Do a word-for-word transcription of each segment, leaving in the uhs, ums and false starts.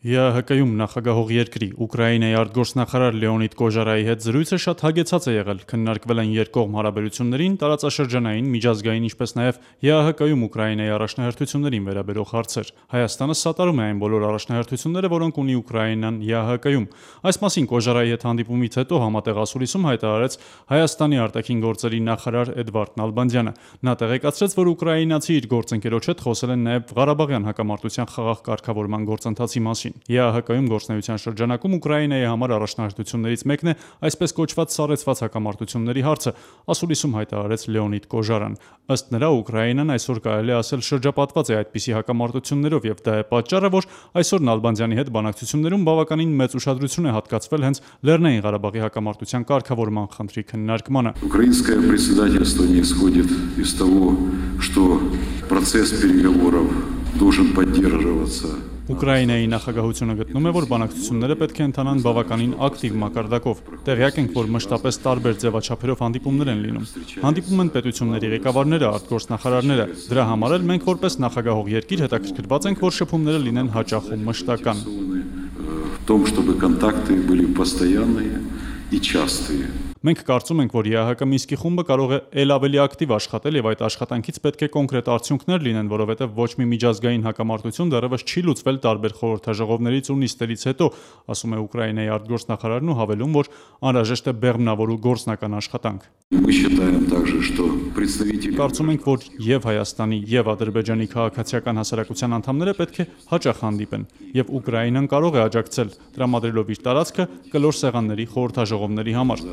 ԵԱՀԿ-ում նախագահող երկրի Ուկրաինայի արտգործնախարար Լեոնիդ Կոժարայի հետ զրույցը շատ հագեցած է եղել, քննարկվել են երկկողմ հարաբերություններին, տարածաշրջանային, միջազգային, ինչպես նաև ԵԱՀԿ-ում Ուկրաինայի առաջնահերթություններին վերաբերող հարցեր։ Հայաստանը սատարում է այն բոլոր առաջնահերթությունները, որոնք ունի Ուկրաինան ԵԱՀԿ-ում։ Այս մասին Կոժարայի հետ հանդիպումից հետո համատեղ ասուլիսում հայտարարեց Հայաստանի արտաքին գործերի նախարար Էդվարդ Նալբանդյանը։ Նա տեղեկացրեց, որ ուկրաինացի իր գործընկերոջ հետ խոսել են նաև Ղարաբաղյան հակամարտության խաղաղ կարգավորման գործընթացի մասին։ ԵԱՀԿ-ում գործունեության շրջանակում Ուկրաինայի համար առաջնահերթություններից մեկն է այսպես կոչված սառեցված հակամարտությունների հարցը, ասուլիսում հայտարարեց Լեոնիդ Կոժարան։ Ըստ նրա, Ուկրաինան այսօր կարելի է ասել շրջապատված է այդպիսի հակամարտություններով, եւ դա է պատճառը, որ այսօր Նալբանդյանի հետ բանակցություններում բավականին մեծ ուշադրություն է հատկացվել հենց Լեռնային Ղարաբաղի հակամարտության կարգավորման խնդրի քննարկմանը։ Украинское председательство не исходит из того, что процесс переговоров должен поддерживаться. Ուկրաինայի նախագահությունը գտնում է, որ բանակցությունները պետք է ընթանան բավականին ակտիվ մակարդակով։ Տեղյակ ենք, որ մշտապես տարբեր ձևաչափերով հանդիպումներ են լինում։ Հանդիպում են պետությունների ղեկավարները, արտգործնախարարները։ Դրա համար էլ մենք որպես նախագահող երկիր հետաքրքրված ենք, որ շփումները լինեն հաճախ ու մշտական։ В том, чтобы контакты были постоянные и частые. Մենք կարծում ենք, որ ԵԱՀԿ Մինսկի խումբը կարող է ել ավելի ակտիվ աշխատել եւ այդ աշխատանքից պետք է կոնկրետ արդյունքներ լինեն, որովհետեւ ոչ մի միջազգային հակամարտություն դեռևս չի լուծվել տարբեր խորհրդաժողովներից ու նիստերից հետո, ասում է Ուկրաինայի արտգործնախարարն ու հավելում, որ անհրաժեշտ է բեղմնավոր ու գործնական աշխատանք։ Мы считаем также, что представители Կարծում ենք, որ եւ Հայաստանի եւ Ադրբեջանի քաղաքացիական հասարակության անդամները պետք է հաճախ հանդիպեն եւ Ուկրաինան կարող է աջակցել, տրամադրելով իր տարածքը կլոր սեղանների խորհրդաժողովների համար։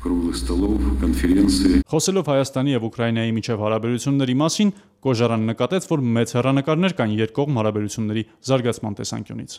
круглых столов, конференции. Խոսելով Հայաստանի եւ Ուկրաինայի միջև հարաբերությունների մասին, Կոժարան նկատեց, որ մեծ հեռանկարներ կան երկկողմ հարաբերությունների զարգացման տեսանկյունից։